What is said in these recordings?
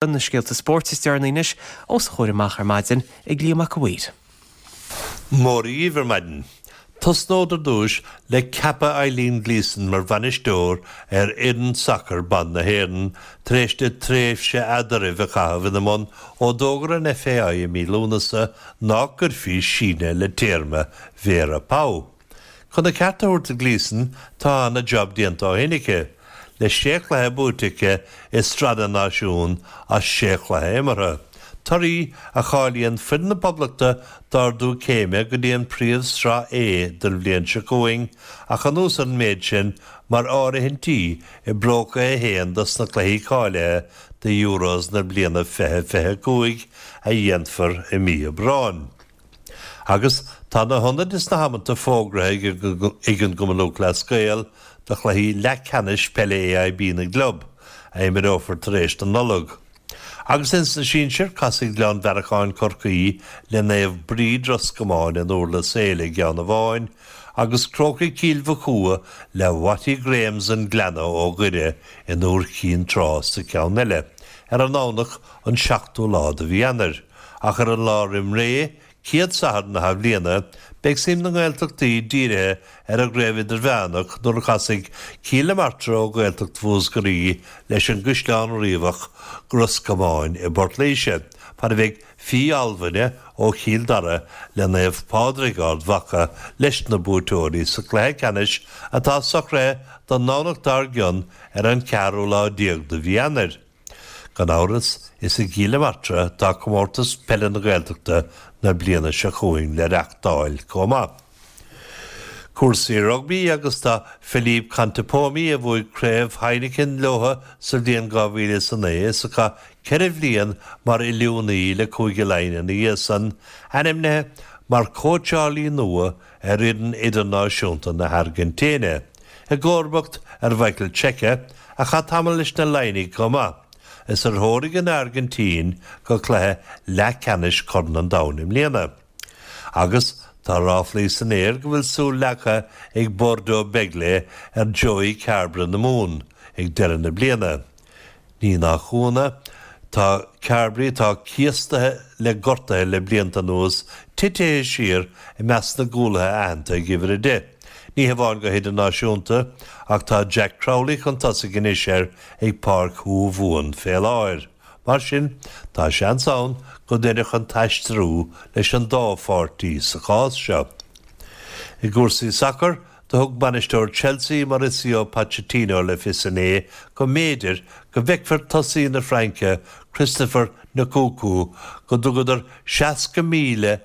Na scéalta spóirt is deireanaí anois os a chomhair amach ar maidin ag Liam Mac a' Mhaoir. Mora dhíbh ar maidin. Tosnód ar dtúis le ceapadh Eileen Gleeson mar bhainisteoir ar fhoireann sacair ban na hÉireann tar éis di tréimhse eadraibh a chaitheamh ina mbun ó d'fhógair an FAI i mí Lúnasa nach gcuirfí síneadh le téarma Vera Pauw. Chun a ceart a thabhairt do Gleeson, tá ana-jab déanta ó shin aici, le sé chluiche buaite aici i Sraith na Náisiún as sé chluiche imeartha, torthaí a cháilíonn foireann na Poblachta d'ardú céime go dtí an Phríomh-Sraith A don bhliain seo chugainn ach anuas ar an méid sin mar áirithintí i bpróca 1 dos na cluichí cáilithe do Euros na bliana 2025 a dhéanfar i mí Aibreáin. Agus tá na hionaid is na hamanta fógraithe ag an gCumann Lúthchleas Gael do chluichí leathcheannais peile AIB na gclub, a imreofar tar éis na Nollag. Agus ins na sinsir, casfaidh Gleann Bhearacháin Corcaí le Naomh Bríd Ros Comáin in Durlas Éile i gceann amháin, agus Crócaigh Chill Mochua le Watty Grahams an Gleanna ó Dhoire in Iúr Chinn Trá sa cheann eile, ar an nDomhnach an 7ú lá de mhí Eanáir. Ach ar an lá roim ré, céad Satharn na hathbhliana, beidh suim na nGaeltachtaí dírithe ar an gCraobh Idirmheánach nuair a chasfaidh Cill na Martra ó Ghaeltacht Mhúscraí leis an gCaisleán Riabhach Ros Comáin i bPort Laoise, fad a bheidh Fiodh Almhaine ó Chill Dara le Naomh Pádraig Ard Mhacha leis na buaiteoirí sa chluiche ceannais atá socraithe don nDomhnach dár gcionn ar an cheathrú lá déag de mhí Eanáir. Gan amhras, is i gCill na Martra atá Comórtas Peile na Gaeltachta na bliana seo chugainn le reachtáil chomh maith. Cúrsaí rugbaí agus tá Philippe Contepomi, a bhuaigh Craobh Heineken leo sa bhliain 2009 is a chaith 4 bhliain mar oiliúnaí le Cúige Laighean ina dhiaidh san, ainmnithe mar chóitseálaí nua ar fhoireann idirnáisiúnta na hAirgintíne, i gcomharbacht ar Mhichael Cheika, a chaith tamall leis na Laighnigh chomh maith, is ar threoraigh an Airgintín go cluiche leathcheannais Chorn an Domhain i mbliana. Agus tá ráflaí san aer go bhfuil súil leagtha ag Bordeaux Bègles ar Joey Carbery na Mumhan ag deireadh na bliana. Ní nach ionadh, tá Carbery, atá cíostaithe le gortuithe le blianta anuas, titithe siar i measc na gcúlaithe aitheanta ag uimhir 10. Ní hamháin go hidirnáisiúnta, ach tá Jack Crowley chun tosaigh anois air ag Páirc Thuamhumhan fé láthair. Mar sin, tá seans ann go n-oirfeadh an t-aistriú leis an dá pháirtí sa chás seo. I gcúrsaí sacair, Do thug bainisteoir Chelsea, Mauricio Pochettino le fios inné go mb'fhéidir go bhfeicfear tosaí na Fraince, Christopher Nkunku, go dtugadar €60,000,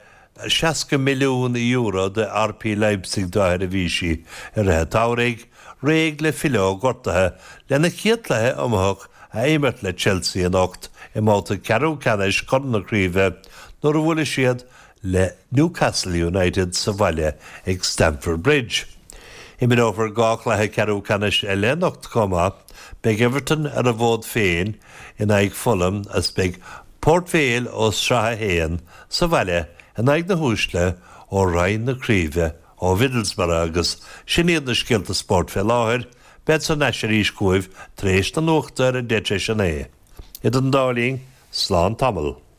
€60 milliún do RB Leipzig dá sheirbhísí i rith an tsamhraidh, réidh le filleadh ó ghortuithe lena chéad chluiche iomaitheach a imirt le Chelsea anocht i mbabhta ceathrú ceannais Chorn na Craoibhe nuair a bhuailfidh siad le Newcastle United sa bhaile ag Stamford Bridge. Imreofar 2 chluiche ceathrú ceannais eile anocht chomh maith. Beidh Everton ar a bhfód féin in aghaidh Fulham agus beidh Port Vale ó Sraith 1 sa bhaile in aghaidh na huaisle ó Roinn na Craoibhe ó Mhiddlesbrough agus sin iad na scéalta spóirt fé láthair. Bead thar n-ais arís chugaibh tar éis na nuachta ar a 9:10. Idir an dá linn, slán tamall.